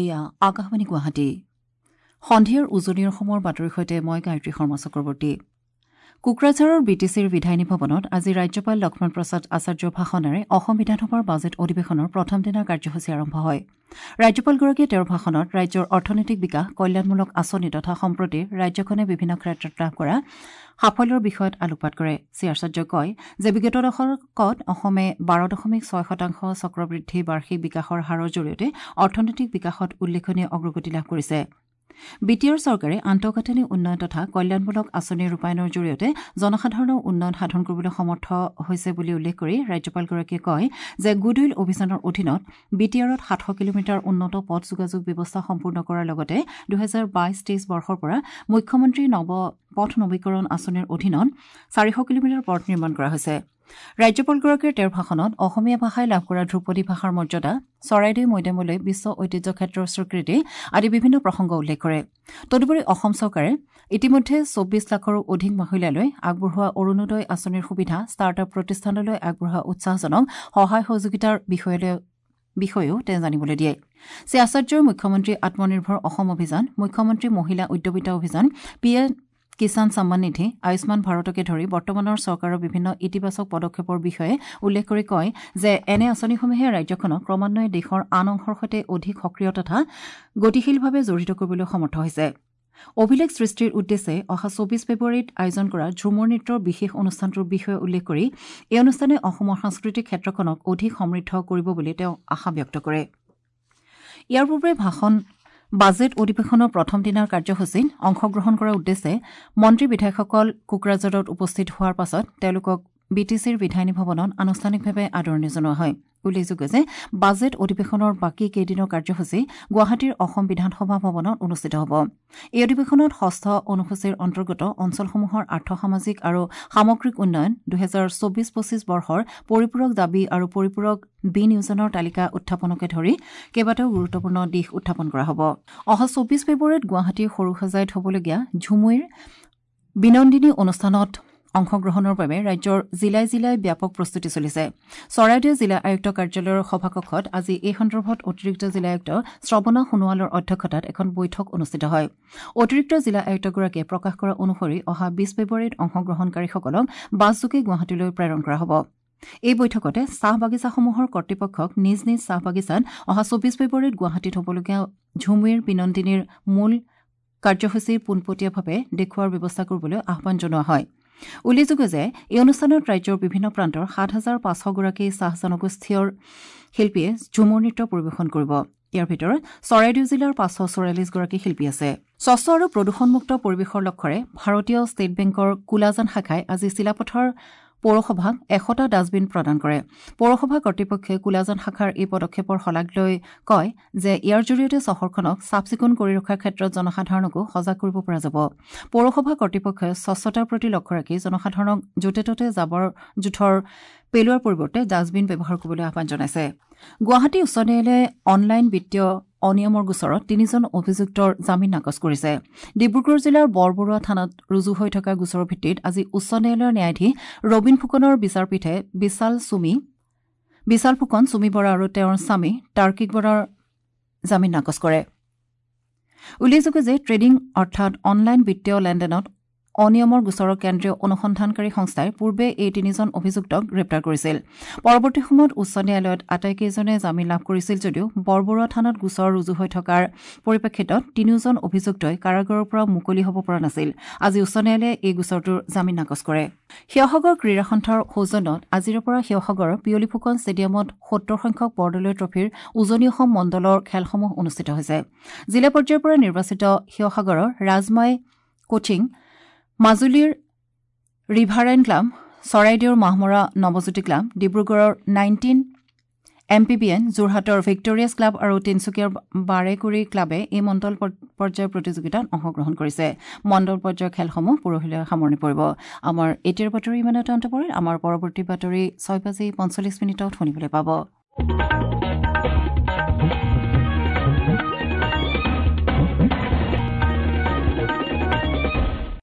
এয়া আকাশবাণী গুৱাহাটী। সন্ধিয়াৰ উজনিৰ অসমৰ বাতৰিৰ সৈতে মই গায়ত্ৰী শৰ্মা চক্ৰৱৰ্তী। কোকৰাঝাৰৰ বি টি চিৰ বিধায়িনী ভৱনত আজি ৰাজ্যপাল লক্ষ্মণ প্ৰসাদ আচাৰ্যৰ ভাষণেৰে অসম বিধানসভাৰ বাজেট অধিৱেশনৰ প্ৰথম দিনাৰ কাৰ্যসূচী আৰম্ভ হয়। ৰাজ্যপালগৰাকীয়ে তেওঁৰ ভাষণত ৰাজ্যৰ অৰ্থনৈতিক বিকাশ, কল্যাণমূলক আঁচনি তথা সম্প্ৰতি ৰাজ্যখনে বিভিন্ন ক্ষেত্ৰত লাভ কৰা সাফল্যৰ বিষয়ত আলোকপাত কৰে। শ্ৰী আচাৰ্যই কয় যে বিগত দশকত অসমে 12.6% চক্ৰবৃদ্ধি বাৰ্ষিক বিকাশৰ হাৰৰ জৰিয়তে অৰ্থনৈতিক বিকাশত উল্লেখনীয় অগ্ৰগতি লাভ কৰিছে। বি টি আৰ চৰকাৰে আন্তঃগাঁথনি উন্নয়ন তথা কল্যাণমূলক আঁচনি ৰূপায়ণৰ জৰিয়তে জনসাধাৰণৰ উন্নয়ন সাধন কৰিবলৈ সমৰ্থ হৈছে বুলি উল্লেখ কৰি ৰাজ্যপালগৰাকীয়ে কয় যে গুডউইল অভিযানৰ অধীনত বি টি আৰত 700 কিলোমিটাৰ উন্নত পথ যোগাযোগ ব্যৱস্থা সম্পূৰ্ণ কৰাৰ লগতে 2022-23 বৰ্ষৰ পৰা মুখ্যমন্ত্ৰী নৱ পথ নবীকৰণ আঁচনিৰ অধীনত 400 কিলোমিটাৰ পথ নিৰ্মাণ কৰা হৈছে। ৰাজ্যপালগৰাকীয়ে তেওঁৰ ভাষণত অসমীয়া ভাষাই লাভ কৰা ধ্ৰুপদী ভাষাৰ মৰ্যাদা, চৰাইদেউ মৈদামলৈ বিশ্ব ঐতিহ্য ক্ষেত্ৰৰ স্বীকৃতি আদি বিভিন্ন প্ৰসংগ উল্লেখ কৰে। তদুপৰি অসম চৰকাৰে ইতিমধ্যে 24 লাখৰো অধিক মহিলালৈ আগবঢ়োৱা অৰুণোদয় আঁচনিৰ সুবিধা, ষ্টাৰ্ট আপ প্ৰতিষ্ঠানলৈ আগবঢ়োৱা উৎসাহজনক সহায় সহযোগিতাৰ বিষয়েও তেওঁ জানিবলৈ দিয়ে। শ্ৰী আচাৰ্যই মুখ্যমন্ত্ৰী আত্মনিৰ্ভৰ অসম অভিযান, মুখ্যমন্ত্ৰী মহিলা উদ্যমিতা অভিযান, পি এম কিষাণ সন্মান নিধি, আয়ুষ্মান ভাৰতকে ধৰি বৰ্তমানৰ চৰকাৰৰ বিভিন্ন ইতিবাচক পদক্ষেপৰ বিষয়ে উল্লেখ কৰি কয় যে এনে আঁচনিসমূহে ৰাজ্যখনক ক্ৰমান্বয়ে দেশৰ আন অংশৰ সৈতে অধিক সক্ৰিয় তথা গতিশীলভাৱে জড়িত কৰিবলৈ সমৰ্থ হৈছে। অভিলেখ সৃষ্টিৰ উদ্দেশ্যে অহা 24 ফেব্ৰুৱাৰীত আয়োজন কৰা ঝুমুৰ নৃত্যৰ বিশেষ অনুষ্ঠানটোৰ বিষয়ে উল্লেখ কৰি এই অনুষ্ঠানে অসমৰ সাংস্কৃতিক ক্ষেত্ৰখনক অধিক সমৃদ্ধ কৰিব বুলি তেওঁ আশা ব্যক্ত কৰে। ইয়াৰ পূৰ্বে ভাষণ বাজেট অধিৱেশনৰ প্ৰথম দিনাৰ কাৰ্যসূচীত অংশগ্ৰহণ কৰাৰ উদ্দেশ্যে মন্ত্ৰী বিধায়কসকল কোকৰাঝাৰত উপস্থিত হোৱাৰ পাছত তেওঁলোকক বি টি চিৰ বিধায়িনী ভৱনত আনুষ্ঠানিকভাৱে আদৰণি জনোৱা হয়। উল্লেখযোগ্য যে বাজেট অধিৱেশনৰ বাকী কেইদিনৰ কাৰ্যসূচী গুৱাহাটীৰ অসম বিধানসভা ভৱনত অনুষ্ঠিত হ'ব। এই অধিৱেশনত ষষ্ঠ অনুসূচীৰ অন্তৰ্গত অঞ্চলসমূহৰ আৰ্থ-সামাজিক আৰু সামগ্ৰিক উন্নয়ন, 2024-25 বৰ্ষৰ পৰিপূৰক দাবী আৰু পৰিপূৰক বিনিয়োজনৰ তালিকা উত্থাপনকে ধৰি কেইবাটাও গুৰুত্বপূৰ্ণ দিশ উত্থাপন কৰা হ'ব। অহা 24 ফেব্ৰুৱাৰীত গুৱাহাটীৰ সৰুসজাইত হ'বলগীয়া ঝুমুইৰ বিনন্দিনী অনুষ্ঠানত অংশগ্ৰহণৰ বাবে ৰাজ্যৰ জিলাই জিলাই ব্যাপক প্ৰস্তুতি চলিছে। চৰাইদেউ জিলা আয়ুক্ত কাৰ্যালয়ৰ সভাকক্ষত আজি এই সন্দৰ্ভত অতিৰিক্ত জিলা আয়ুক্ত শ্ৰৱণা সোণোৱালৰ অধ্যক্ষতাত এখন বৈঠক অনুষ্ঠিত হয়। অতিৰিক্ত জিলা আয়ুক্তগৰাকীয়ে প্ৰকাশ কৰা অনুসৰি অহা 20 ফেব্ৰুৱাৰীত অংশগ্ৰহণকাৰীসকলক বাছযোগে গুৱাহাটীলৈ প্ৰেৰণ কৰা হ'ব। এই বৈঠকতে চাহ বাগিচাসমূহৰ কৰ্তৃপক্ষক নিজ নিজ চাহ বাগিচাত অহা 24 ফেব্ৰুৱাৰীত গুৱাহাটীত হ'বলগীয়া ঝুমুইৰ বিনন্দিনীৰ মূল কাৰ্যসূচী পোনপটীয়াভাৱে দেখুওৱাৰ ব্যৱস্থা কৰিবলৈ আহ্বান জনোৱা হয়। উল্লেখযোগ্য যে এই অনুষ্ঠানত ৰাজ্যৰ বিভিন্ন প্ৰান্তৰ 7500 গৰাকী চাহ জনগোষ্ঠীয় শিল্পীয়ে ঝুমুৰ নৃত্য পৰিৱেশন কৰিব। ইয়াৰ ভিতৰত চৰাইদেউ জিলাৰ 544 গৰাকী শিল্পী আছে। স্বচ্ছ আৰু প্ৰদূষণমুক্ত পৰিৱেশৰ লক্ষ্যৰে ভাৰতীয় ষ্টেট বেংকৰ কুলাজান শাখাই আজি চিলাপথাৰ পৌৰসভাক 100টা ডাষ্টবিন প্ৰদান কৰে। পৌৰসভা কৰ্তৃপক্ষই কুলাজান শাখাৰ এই পদক্ষেপৰ শলাগ লৈ কয় যে ইয়াৰ জৰিয়তে চহৰখনক চাফ চিকুণ কৰি ৰখাৰ ক্ষেত্ৰত জনসাধাৰণকো সজাগ কৰিব পৰা যাব। পৌৰসভা কৰ্তৃপক্ষই স্বচ্ছতাৰ প্ৰতি লক্ষ্য ৰাখি জনসাধাৰণক য'তে ত'তে জাবৰ জোঁথৰ পেলোৱাৰ পৰিৱৰ্তে ডাষ্টবিন ব্যৱহাৰ কৰিবলৈ আহ্বান জনাইছে। গুৱাহাটী উচ্চ ন্যায়ালয়ে অনলাইন বিত্তীয় অনিয়মৰ গোচৰত তিনিজন অভিযুক্তৰ জামিন নাকচ কৰিছে। ডিব্ৰুগড় জিলাৰ বৰবৰুৱা থানাত ৰুজু হৈ থকা গোচৰৰ ভিত্তিত আজি উচ্চ ন্যায়ালয়ৰ ন্যায়াধীশ ৰবীন ফুকনৰ বিচাৰপীঠে বিশাল ফুকন, চুমি বৰা আৰু তেওঁৰ স্বামী তাৰ্কিক বৰাৰ জামিন নাকচ কৰে। উল্লেখযোগ্য যে ট্ৰেডিং অৰ্থাৎ অনলাইন বিত্তীয় লেনদেনত অনিয়মৰ গোচৰৰ কেন্দ্ৰীয় অনুসন্ধানকাৰী সংস্থাই পূৰ্বে এই তিনিজন অভিযুক্তক গ্ৰেপ্তাৰ কৰিছিল। পৰৱৰ্তী সময়ত উচ্চ ন্যায়ালয়ত আটাইকেইজনে জামিন লাভ কৰিছিল যদিও বৰবৰুৱা থানাত গোচৰ ৰুজু হৈ থকাৰ পৰিপ্ৰেক্ষিতত তিনিওজন অভিযুক্তই কাৰাগাৰৰ পৰা মুকলি হ'ব পৰা নাছিল। আজি উচ্চ ন্যায়ালয়ে এই গোচৰটোৰ জামিন নাকচ কৰে। শিৱসাগৰ ক্ৰীড়া সন্থাৰ সৌজন্যত আজিৰে পৰা শিৱসাগৰৰ পিয়লি ফুকন ষ্টেডিয়ামত 70 সংখ্যক বৰদলৈ ট্ৰফীৰ উজনি অসম মণ্ডলৰ খেলসমূহ অনুষ্ঠিত হৈছে। জিলা পৰ্যায়ৰ পৰা নিৰ্বাচিত শিৱসাগৰৰ ৰাজমাই কোচিং, মাজুলীৰ ৰিভাৰাইন ক্লাব, চৰাইদেউৰ মাহমৰা নৱজ্যোতি ক্লাব, ডিব্ৰুগড়ৰ 19 এম পি বি এন, যোৰহাটৰ ভিক্টৰিয়াছ ক্লাব আৰু তিনিচুকীয়াৰ বাৰেকুৰি ক্লাবে এই মণ্ডল পৰ্যায়ৰ প্ৰতিযোগিতাত অংশগ্ৰহণ কৰিছে। মণ্ডল পৰ্যায়ৰ খেলসমূহ পৰহিলৈ সামৰণি পৰিব। আমাৰ এতিয়াৰ বাতৰি ইমানতে অন্ত পৰিল। আমাৰ পৰৱৰ্তী বাতৰি 6 বাজি 45 মিনিটত শুনিবলৈ পাব।